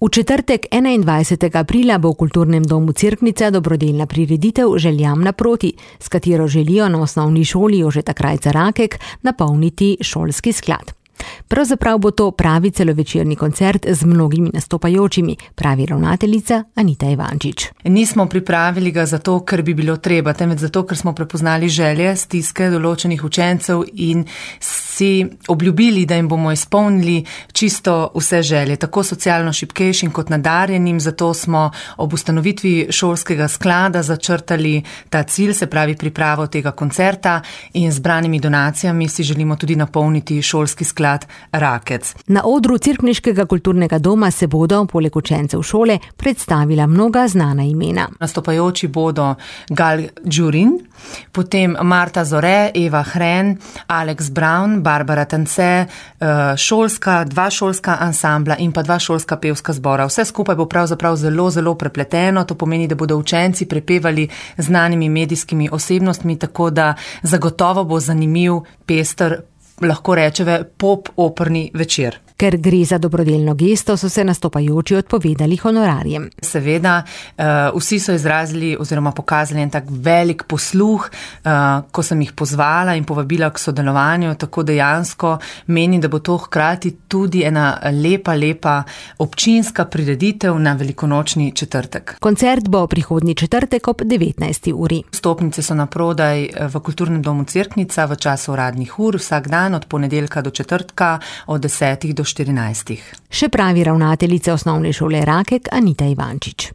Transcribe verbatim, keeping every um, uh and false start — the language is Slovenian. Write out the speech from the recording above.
V četrtek enaindvajsetega aprila bo v Kulturnem domu Cerknica dobrodelna prireditev Željam naproti, s katero želijo na osnovni šoli Jožeta Krajca Rakek napolniti šolski sklad. Pravzaprav bo to pravi celovečerni koncert z mnogimi nastopajočimi, pravi ravnateljica Anita Ivančič. Nismo pripravili ga zato, ker bi bilo treba, temveč zato, ker smo prepoznali želje, stiske določenih učencev in si obljubili, da jim bomo izpolnili čisto vse želje, tako socialno šibkejšim kot nadarjenim, zato smo ob ustanovitvi šolskega sklada začrtali ta cilj, se pravi pripravo tega koncerta, in z zbranimi donacijami si želimo tudi napolniti šolski sklad Rakec. Na odru Cerkniškega kulturnega doma se bodo, poleg učencev šole, predstavila mnoga znana imena. Nastopajoči bodo Gal Džurin, potem Marta Zore, Eva Hren, Alex Brown, Barbara Tance, šolska, dva šolska ansambla in pa dva šolska pevska zbora. Vse skupaj bo pravzaprav zelo, zelo prepleteno, to pomeni, da bodo učenci prepevali znanimi medijskimi osebnostmi, tako da zagotovo bo zanimiv, pester, lahko rečeve pop-operni večer. Ker gre za dobrodelno gesto, so se nastopajoči odpovedali honorarjem. Seveda, vsi so izrazili oziroma pokazali en tak velik posluh, ko sem jih pozvala in povabila k sodelovanju, tako dejansko menim, da bo to hkrati tudi ena lepa, lepa občinska prireditev na velikonočni četrtek. Koncert bo prihodnji četrtek ob devetnajsti uri. Vstopnice so naprodaj v Kulturnem domu Cerknica v času uradnih ur, vsak dan od ponedeljka do četrtka od desetih do štirinajstih. Še pravi ravnateljica osnovne šole Rakek Anita Ivančič.